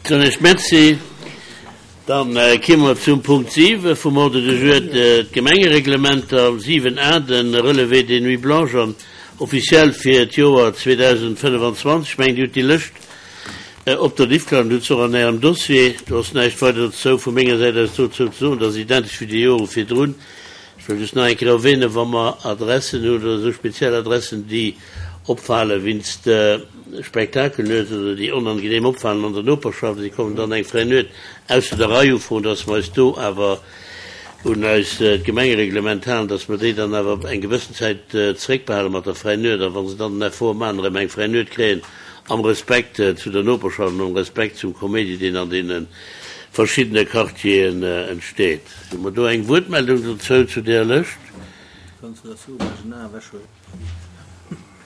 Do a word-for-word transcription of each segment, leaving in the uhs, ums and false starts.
Soen ech Merci. Dann kimme mer zum Punkt siwe vum Ordre du jour, d'Gemengereglementer, siwen a, de Relevé des nuits blanches an officiel fir d'Joer zweedausendfënnefanzwanzeg. Ech mengen, Dir hutt déi Lëscht op der Diffcloud an hutt se och an Ärem Dossier. Do ass näischt weider dozou vu menger Säit aus dozou ze soen. Dat ass identesch wéi déi Jore virdrun. Ech wëll just nach eng Kéier erwähnen, wa mer Adressen hunn oder esou speziell Adressen, déi opfale wéinst Spektakelnuet oder déi onangenehm opfalen an der Noperschaft, si kommen dann eng fräi Nuet ausser der Rei ufroen, dass mer eis do awer un eis Gemengereglement halen, dass mer déi dann awer eng gewëssen Zäit zeréckbehale mat der fräi Nuet a wa se dann den Effort maachen, erëm eng fräi Nuet kréien, am Respekt zu der Noperschaft an am Respekt zum Koméidi, deen an deene verschiddene Quartieren entsteet. Hu mer do eng Wuertmeldung dozou, zu där Lëscht?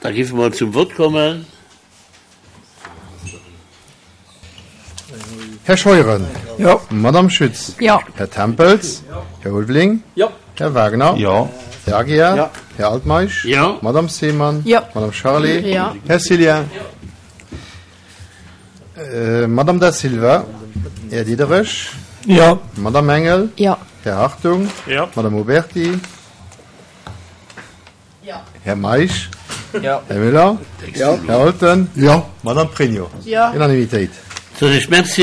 Da géife mer zum Vott kommen. Här Scheuren. Jo. Madamm Schütz. Jo. Här Tempels. Här Ulveling. Jo. Här Wagner. Jo. Här Aguiar. Jo. Här Altmeisch. Jo. Madamm Seemann. Jo. Madamm Charlé. Jo. Här Cillien. Madamm Da Silva. Här Diderich. Jo. Madamm Engel. Jo. Här Hartung. Jo. Madamm Oberti. Jo. Här Meisch. Jo. Här Müller. Jo. Här Holten. Jo. Madamm Pregno. Jo. Unanimitéit. Soen ech Merci.